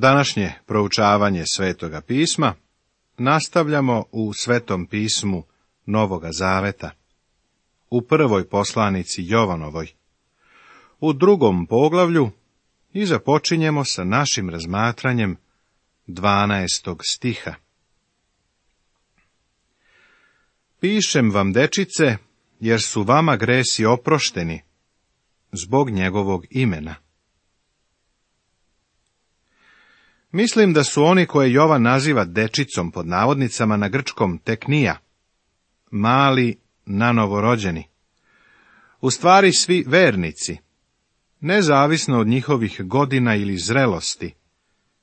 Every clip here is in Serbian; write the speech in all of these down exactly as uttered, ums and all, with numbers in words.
Današnje proučavanje Svetoga pisma nastavljamo u Svetom pismu Novoga Zaveta, u prvoj poslanici Jovanovoj, u drugom poglavlju i započinjemo sa našim razmatranjem dvanaestog stiha. Pišem vam, dečice, jer su vama gresi oprošteni zbog njegovog imena. Mislim da su oni koje Jovan naziva dečicom pod navodnicama na grčkom teknija, mali nanovorođeni, u stvari svi vernici, nezavisno od njihovih godina ili zrelosti,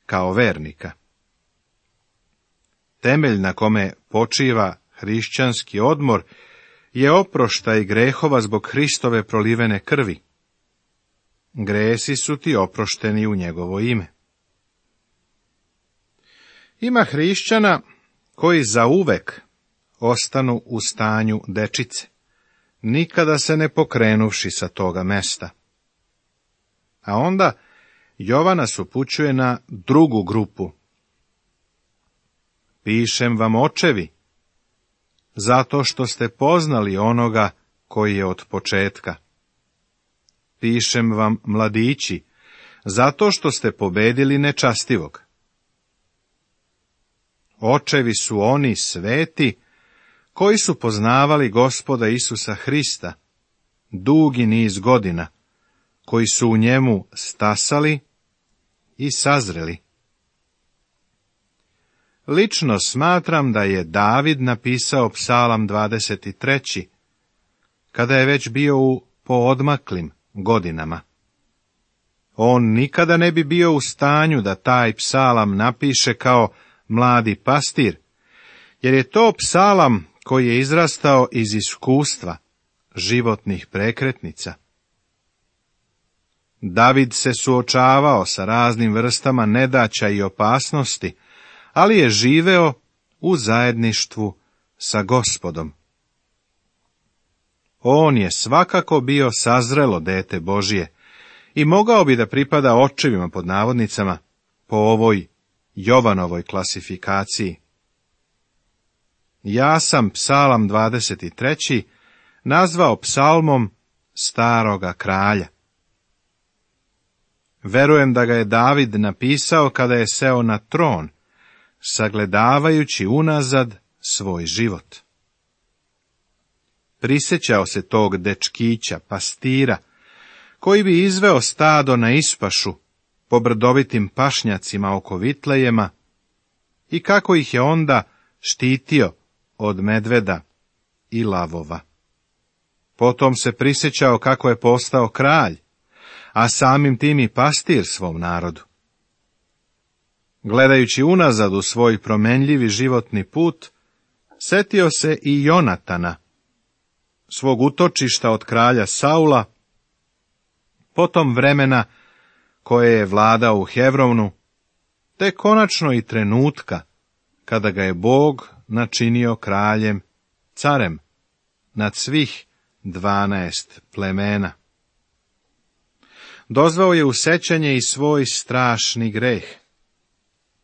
kao vernika. Temelj na kome počiva hrišćanski odmor je oproštaj grehova zbog Hristove prolivene krvi. Gresi su ti oprošteni u njegovo ime. Ima hrišćana koji zauvek ostanu u stanju dečice, nikada se ne pokrenuvši sa toga mesta. A onda Jovan nas upućuje na drugu grupu. Pišem vam, očevi, zato što ste poznali onoga koji je od početka. Pišem vam, mladići, zato što ste pobedili nečastivog. Očevi su oni sveti koji su poznavali Gospoda Isusa Hrista dugi niz godina, koji su u njemu stasali i sazreli. Lično smatram da je David napisao Psalam dvadeset treći, kada je već bio u poodmaklim godinama. On nikada ne bi bio u stanju da taj psalam napiše kao mladi pastir, jer je to psalam koji je izrastao iz iskustva životnih prekretnica. David se suočavao sa raznim vrstama nedaća i opasnosti, ali je živeo u zajedništvu sa Gospodom. On je svakako bio sazrelo dete Božje i mogao bi da pripada očevima pod navodnicama po ovoj Jovanovoj klasifikaciji. Ja sam Psalam dvadeset treći nazvao psalmom staroga kralja. Verujem da ga je David napisao kada je seo na tron, sagledavajući unazad svoj život. Prisjećao se tog dečkića, pastira, koji bi izveo stado na ispašu po brdovitim pašnjacima oko Vitlejema i kako ih je onda štitio od medveda i lavova. Potom se prisjećao kako je postao kralj, a samim tim i pastir svom narodu. Gledajući unazad u svoj promenljivi životni put, setio se i Jonatana, svog utočišta od kralja Saula, potom vremena koje je vladao u Hevronu, te konačno i trenutka kada ga je Bog načinio kraljem, carem, nad svih dvanaest plemena. Dozvao je u sećanje i svoj strašni greh,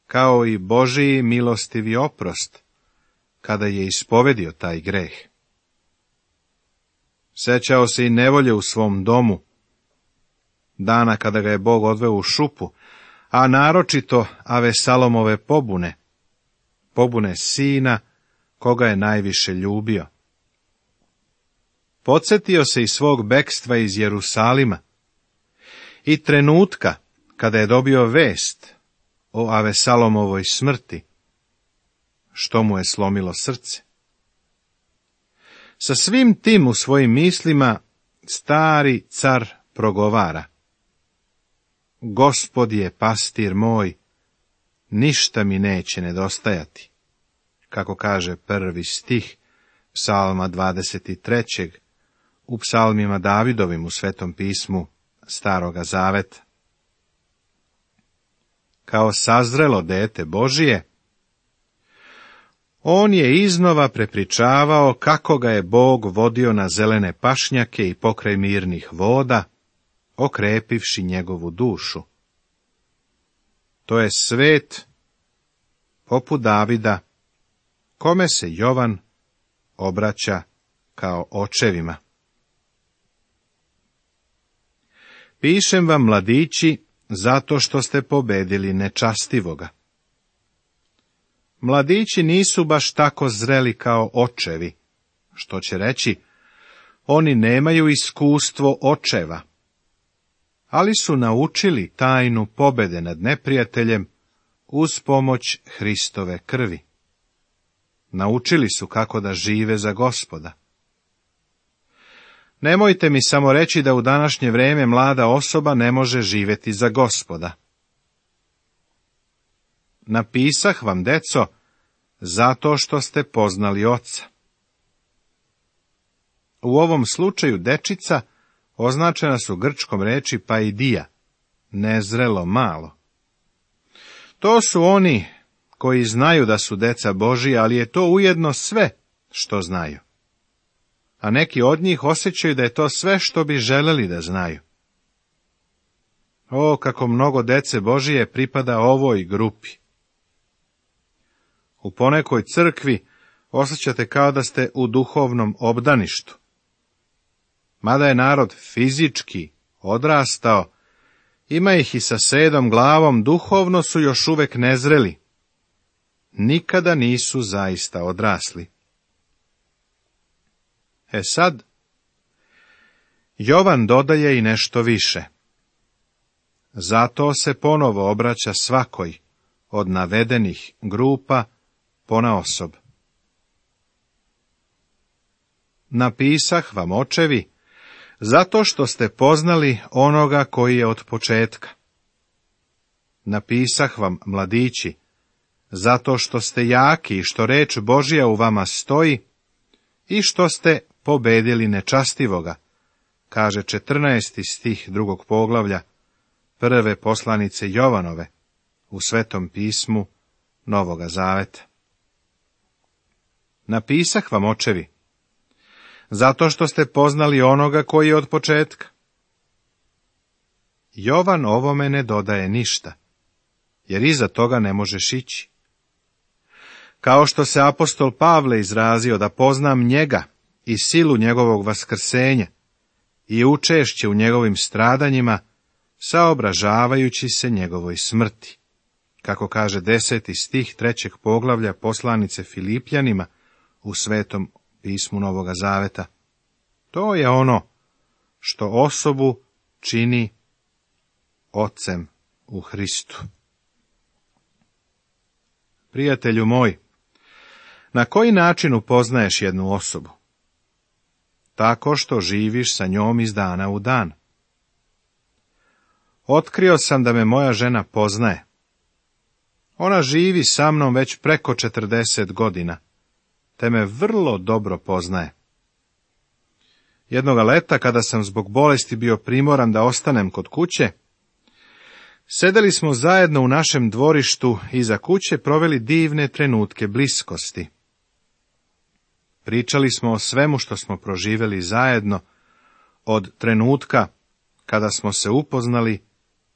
kao i Božiji milostivi oprost, kada je ispovedio taj greh. Sećao se i nevolje u svom domu, dana kada ga je Bog odveo u šupu, a naročito Avesalomove pobune, pobune sina koga je najviše ljubio. Podsjetio se i svog bekstva iz Jerusalima i trenutka kada je dobio vest o Avesalomovoj smrti, što mu je slomilo srce. Sa svim tim u svojim mislima stari car progovara: Gospod je pastir moj, ništa mi neće nedostajati, kako kaže prvi stih Psalma dvadeset trećeg u psalmima Davidovim u Svetom pismu Staroga Zaveta. Kao sazrelo dete Božije, on je iznova prepričavao kako ga je Bog vodio na zelene pašnjake i pokraj mirnih voda, okrepivši njegovu dušu. to je svet poput Davida, kome se Jovan obraća kao očevima. Pišem vam, mladići, zato što ste pobedili nečastivoga. Mladići nisu baš tako zreli kao očevi, što će reći, oni nemaju iskustvo očeva, ali su naučili tajnu pobede nad neprijateljem uz pomoć Hristove krvi. Naučili su kako da žive za Gospoda. Nemojte mi samo reći da u današnje vrijeme mlada osoba ne može živjeti za Gospoda. Napisah vam, deco, zato što ste poznali Oca. U ovom slučaju dečica označena su grčkom reči paidija, nezrelo malo. To su oni koji znaju da su deca Božija, ali je to ujedno sve što znaju. A neki od njih osjećaju da je to sve što bi želeli da znaju. O, kako mnogo dece Božije pripada ovoj grupi. U ponekoj crkvi osjećate kao da ste u duhovnom obdaništu. Mada je narod fizički odrastao, ima ih i sa sedom glavom, duhovno su još uvek nezreli. Nikada nisu zaista odrasli. E sad, Jovan dodaje i nešto više. Zato se ponovo obraća svakoj od navedenih grupa ponaosob. Napisah vam, očevi, zato što ste poznali onoga koji je od početka. Napisah vam, mladići, zato što ste jaki i što reč Božja u vama stoji i što ste pobedili nečastivoga, kaže četrnaesti stih drugog poglavlja prve poslanice Jovanove u Svetom pismu Novoga Zaveta. Napisah vam, očevi, zato što ste poznali onoga koji je od početka. Jovan ovome ne dodaje ništa, jer iza toga ne možeš ići. Kao što se apostol Pavle izrazio da poznam njega i silu njegovog vaskrsenja i učešće u njegovim stradanjima, saobražavajući se njegovoj smrti, kako kaže deseti stih trećeg poglavlja poslanice Filipljanima u Svetom pismu Novoga Zaveta. To je ono što osobu čini ocem u Hristu. Prijatelju moj, na koji način upoznaješ jednu osobu? Tako što živiš sa njom iz dana u dan. Otkrio sam da me moja žena poznaje. Ona živi sa mnom već preko četrdeset godina, te me vrlo dobro poznaje. Jednoga leta, kada sam zbog bolesti bio primoran da ostanem kod kuće, sedeli smo zajedno u našem dvorištu iza kuće, proveli divne trenutke bliskosti. Pričali smo o svemu što smo proživjeli zajedno, od trenutka kada smo se upoznali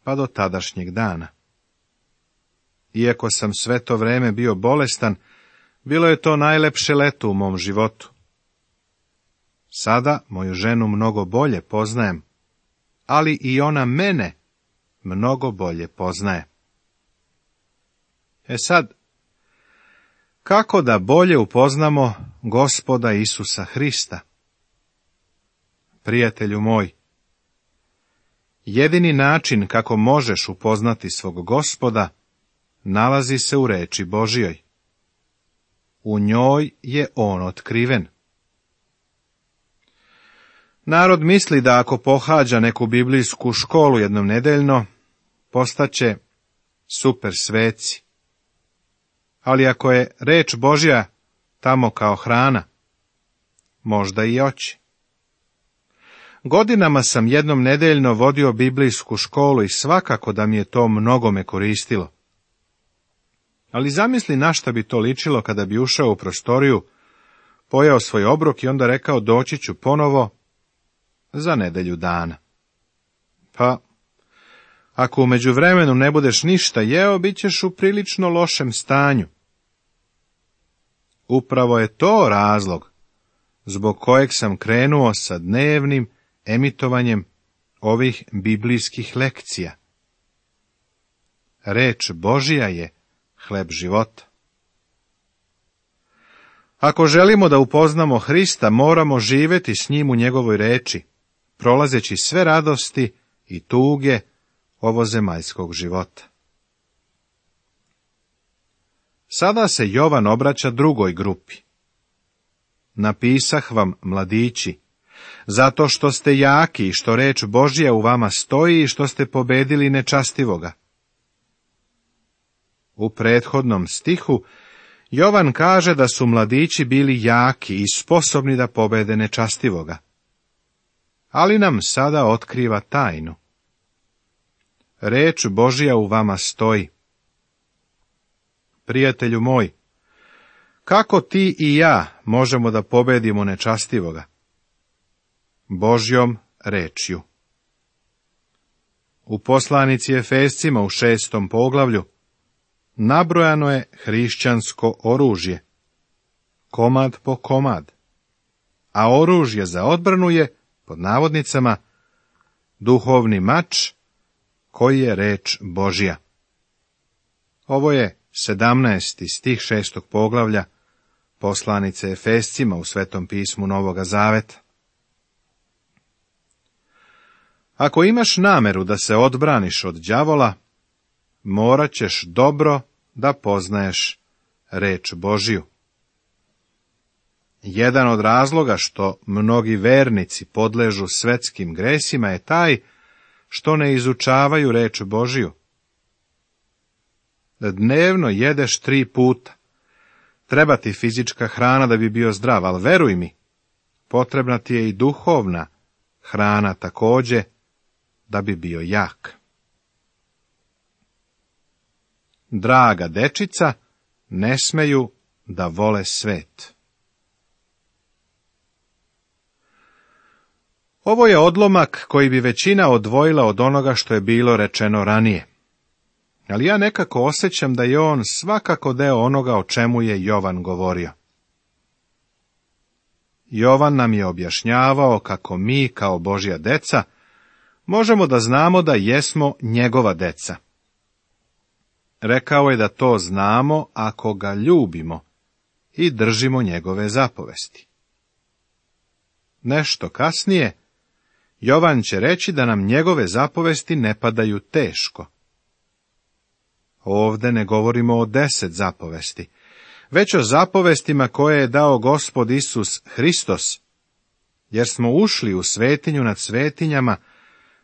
pa do tadašnjeg dana. Iako sam sve to vreme bio bolestan, bilo je to najlepše leto u mom životu. Sada moju ženu mnogo bolje poznajem, ali i ona mene mnogo bolje poznaje. E sad, kako da bolje upoznamo Gospoda Isusa Hrista? Prijatelju moj, jedini način kako možeš upoznati svog Gospoda nalazi se u reči Božjoj. U njoj je on otkriven. Narod misli da ako pohađa neku biblijsku školu jednom nedeljno, postaće super sveci. Ali ako je reč Božja tamo kao hrana, možda i oći. Godinama sam jednom nedeljno vodio biblijsku školu i svakako da mi je to mnogome koristilo. Ali zamisli na šta bi to ličilo kada bi ušao u prostoriju, pojeo svoj obrok i onda rekao doći ću ponovo za nedelju dana. Pa, Ako u međuvremenu ne budeš ništa jeo, bit ćeš u prilično lošem stanju. Upravo je to razlog zbog kojeg sam krenuo sa dnevnim emitovanjem ovih biblijskih lekcija. Reč Božja je hleb života. Ako želimo da upoznamo Hrista, moramo živjeti s njim u njegovoj reči, prolazeći sve radosti i tuge ovozemaljskog života. Sada se Jovan obraća drugoj grupi. Napisah vam, mladići, zato što ste jaki i što reč Božja u vama stoji i što ste pobedili nečastivoga. U prethodnom stihu Jovan kaže da su mladići bili jaki i sposobni da pobede nečastivoga. Ali nam sada otkriva tajnu. Reč Božja u vama stoji. Prijatelju moj, kako ti i ja možemo da pobedimo nečastivoga? Božjom rečju. U poslanici Efescima u šestom poglavlju nabrojano je hrišćansko oružje, komad po komad, a oružje za odbranu je, pod navodnicama, duhovni mač, koji je reč Božja. Ovo je sedamnaesti stih šestog poglavlja poslanice Efescima u Svetom pismu Novoga Zaveta. Ako imaš nameru da se odbraniš od đavola, morat ćeš dobro da poznaješ reč Božju. Jedan od razloga što mnogi vernici podležu svetskim gresima je taj što ne izučavaju reč Božju. Dnevno jedeš tri puta. Treba ti fizička hrana da bi bio zdrav, ali veruj mi, potrebna ti je i duhovna hrana također da bi bio jak. Draga dečica, ne smeju da vole svet. Ovo je odlomak koji bi većina odvojila od onoga što je bilo rečeno ranije. Ali ja nekako osjećam da je on svakako deo onoga o čemu je Jovan govorio. Jovan nam je objašnjavao kako mi, kao Božja deca, možemo da znamo da jesmo njegova deca. Rekao je da to znamo ako ga ljubimo i držimo njegove zapovesti. Nešto kasnije, Jovan će reći da nam njegove zapovesti ne padaju teško. Ovde ne govorimo o deset zapovesti, već o zapovestima koje je dao Gospod Isus Hristos, jer smo ušli u svetinju nad svetinjama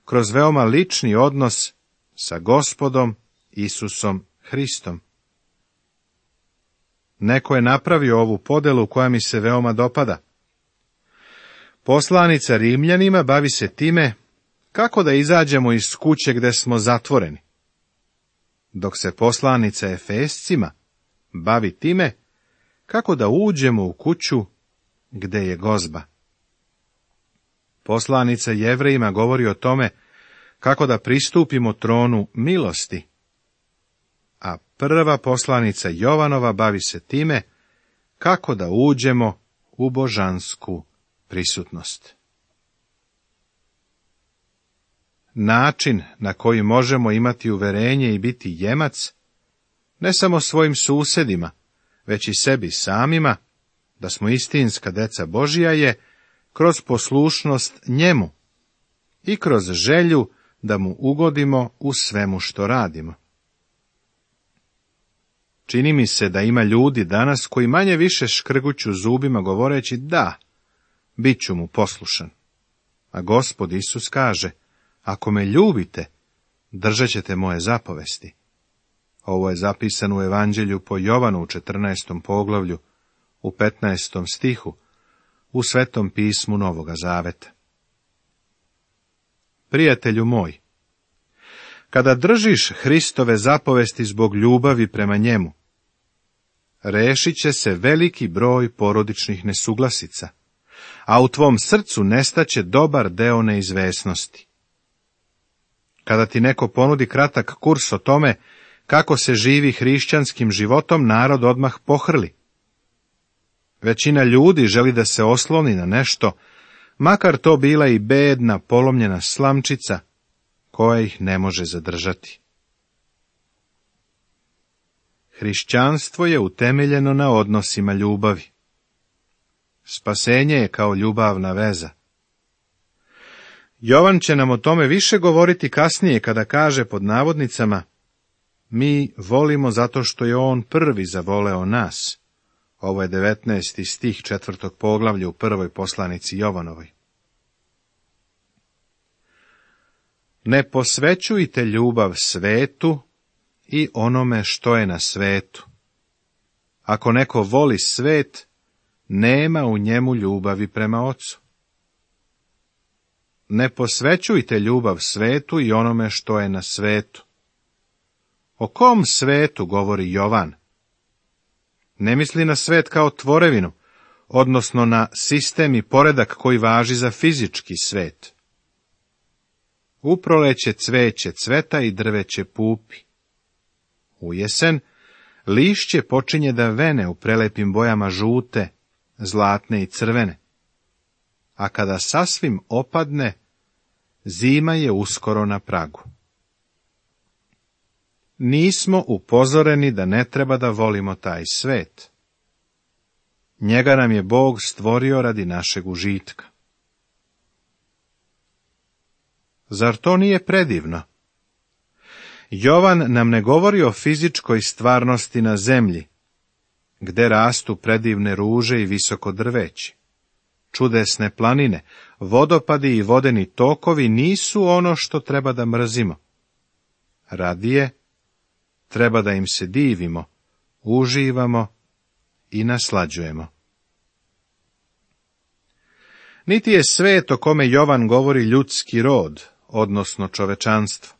kroz veoma lični odnos sa Gospodom Isusom Hristom. Neko je napravio ovu podelu koja mi se veoma dopada. Poslanica Rimljanima bavi se time kako da izađemo iz kuće gde smo zatvoreni, dok se poslanica Efescima bavi time kako da uđemo u kuću gde je gozba. Poslanica Jevrejima govori o tome kako da pristupimo tronu milosti, a prva poslanica Jovanova bavi se time kako da uđemo u božansku prisutnost. Način na koji možemo imati uverenje i biti jemac, ne samo svojim susedima, već i sebi samima, da smo istinska deca Božja, je kroz poslušnost njemu i kroz želju da mu ugodimo u svemu što radimo. Čini mi se da ima ljudi danas koji manje više škrguću zubima govoreći da, bit ću mu poslušan. A Gospod Isus kaže, ako me ljubite, držat ćete moje zapovesti. Ovo je zapisano u Evanđelju po Jovanu u četrnaestom poglavlju, u petnaestom stihu, u Svetom pismu Novoga Zaveta. Prijatelju moj, kada držiš Hristove zapovesti zbog ljubavi prema njemu, rešit će se veliki broj porodičnih nesuglasica, a u tvom srcu nestaće dobar deo neizvesnosti. Kada ti neko ponudi kratak kurs o tome kako se živi hrišćanskim životom, narod odmah pohrli. Većina ljudi želi da se osloni na nešto, makar to bila i bedna, polomljena slamčica, koja ih ne može zadržati. Hrišćanstvo je utemeljeno na odnosima ljubavi. Spasenje je kao ljubavna veza. Jovan će nam o tome više govoriti kasnije kada kaže pod navodnicama: mi volimo zato što je on prvi zavoleo nas. Ovo je devetnaesti stih četvrtog poglavlja u prvoj poslanici Jovanovoj. Ne posvećujte ljubav svetu i onome što je na svetu. Ako neko voli svet, nema u njemu ljubavi prema Ocu. Ne posvećujte ljubav svetu i onome što je na svetu. O kom svetu govori Jovan? Ne misli na svet kao tvorevinu, odnosno na sistem i poredak koji važi za fizički svet. U proleće cveće cveta i drveće pupi. U jesen lišće počinje da vene u prelepim bojama žute, zlatne i crvene. A kada sasvim opadne, zima je uskoro na pragu. Nismo upozoreni da ne treba da volimo taj svet. Njega nam je Bog stvorio radi našeg užitka. Zar to nije predivno? Jovan nam ne govori o fizičkoj stvarnosti na zemlji, gde rastu predivne ruže i visoko drveći. Čudesne planine, vodopadi i vodeni tokovi nisu ono što treba da mrzimo. Radije, treba da im se divimo, uživamo i naslađujemo. Niti je svet o kome Jovan govori ljudski rod, odnosno čovečanstvo.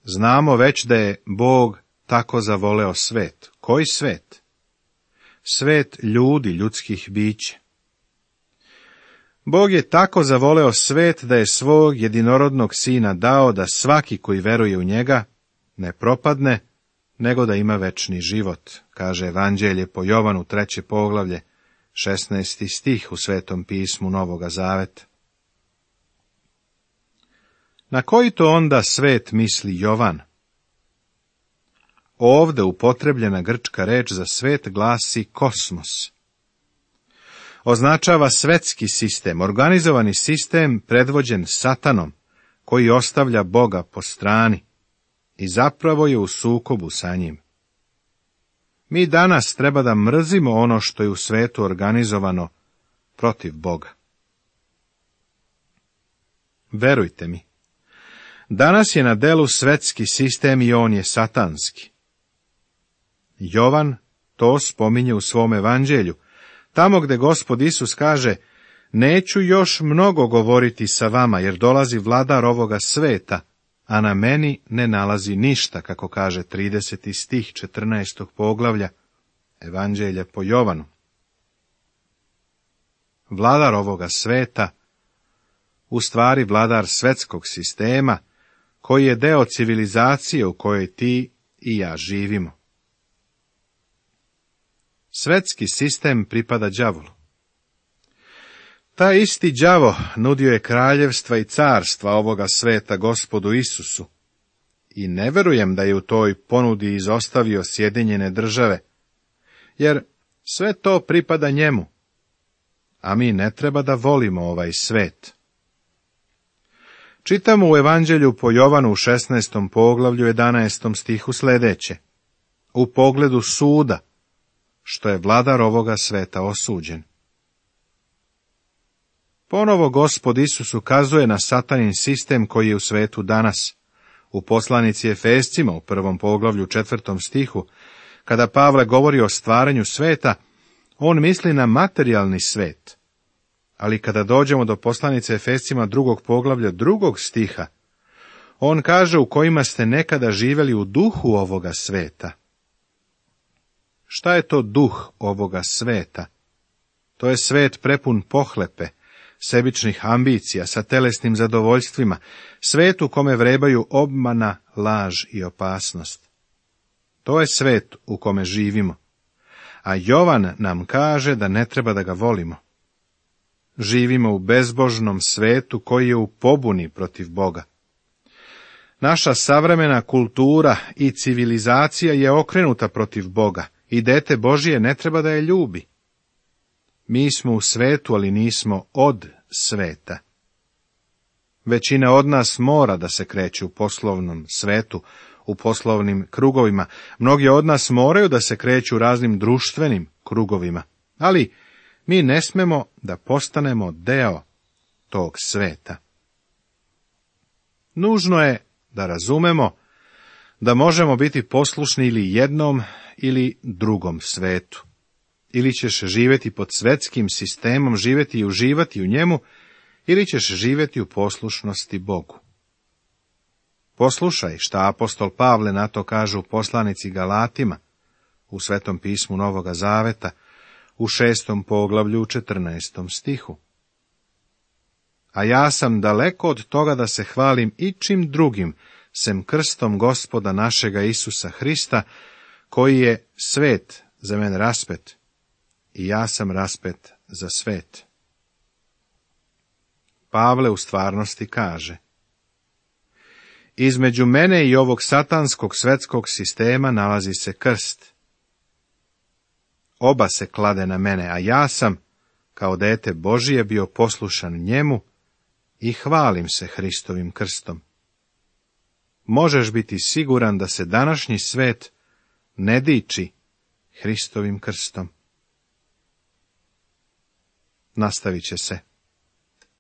Znamo već da je Bog tako zavoleo svet. Koji svet? Svet ljudi, ljudskih bića. Bog je tako zavoleo svet da je svog jedinorodnog sina dao da svaki koji veruje u njega ne propadne, nego da ima večni život, kaže Evanđelje po Jovanu treće poglavlje, šesnaesti stih u Svetom pismu Novoga Zaveta. Na koji to onda svet misli Jovan? Ovde upotrebljena grčka reč za svet glasi kosmos. Označava svetski sistem, organizovani sistem predvođen Satanom, koji ostavlja Boga po strani i zapravo je u sukobu sa njim. Mi danas treba da mrzimo ono što je u svetu organizovano protiv Boga. Verujte mi, danas je na delu svetski sistem i on je satanski. Jovan to spominje u svom evanđelju, tamo gde Gospod Isus kaže: neću još mnogo govoriti sa vama, jer dolazi vladar ovoga sveta, a na meni ne nalazi ništa, kako kaže trideseti stih četrnaestog poglavlja Evanđelja po Jovanu. Vladar ovoga sveta, u stvari vladar svetskog sistema, koji je deo civilizacije u kojoj ti i ja živimo. Svetski sistem pripada đavolu. Taj isti đavo nudio je kraljevstva i carstva ovoga sveta Gospodu Isusu i ne verujem da je u toj ponudi izostavio Sjedinjene Države, jer sve to pripada njemu, a mi ne treba da volimo ovaj svet. Čitamo u Evanđelju po Jovanu u šesnaestom poglavlju jedanaestom stihu sledeće: u pogledu suda, što je vladar ovoga sveta osuđen. Ponovo Gospod Isus ukazuje na satanin sistem koji je u svetu danas. U poslanici Efescima u prvom poglavlju četvrtom stihu, kada Pavle govori o stvaranju sveta, on misli na materijalni svet. Ali kada dođemo do poslanice Efescima drugog poglavlja drugog stiha, on kaže u kojima ste nekada živjeli u duhu ovoga sveta. Šta je to duh ovoga sveta? To je svet prepun pohlepe, sebičnih ambicija, sa telesnim zadovoljstvima, svet u kome vrebaju obmana, laž i opasnost. To je svet u kome živimo, a Jovan nam kaže da ne treba da ga volimo. Živimo u bezbožnom svetu koji je u pobuni protiv Boga. Naša savremena kultura i civilizacija je okrenuta protiv Boga i dete Božije ne treba da je ljubi. Mi smo u svetu, ali nismo od sveta. Većina od nas mora da se kreće u poslovnom svetu, u poslovnim krugovima. Mnogi od nas moraju da se kreću u raznim društvenim krugovima, ali mi ne smemo da postanemo deo tog sveta. Nužno je da razumemo da možemo biti poslušni ili jednom ili drugom svetu. Ili ćeš živjeti pod svetskim sistemom, živjeti i uživati u njemu, ili ćeš živjeti u poslušnosti Bogu. Poslušaj šta apostol Pavle na to kaže u poslanici Galatima, u Svetom pismu Novoga Zaveta, u šestom poglavlju u četrnaestom stihu. A ja sam daleko od toga da se hvalim ičim drugim, sem krstom Gospoda našega Isusa Hrista, koji je svet za mene raspet, i ja sam raspet za svet. Pavle u stvarnosti kaže: između mene i ovog satanskog svetskog sistema nalazi se krst. Oba se klade na mene, a ja sam, kao dete Božije, bio poslušan njemu i hvalim se Hristovim krstom. Možeš biti siguran da se današnji svet ne diči Hristovim krstom. Nastavit će se.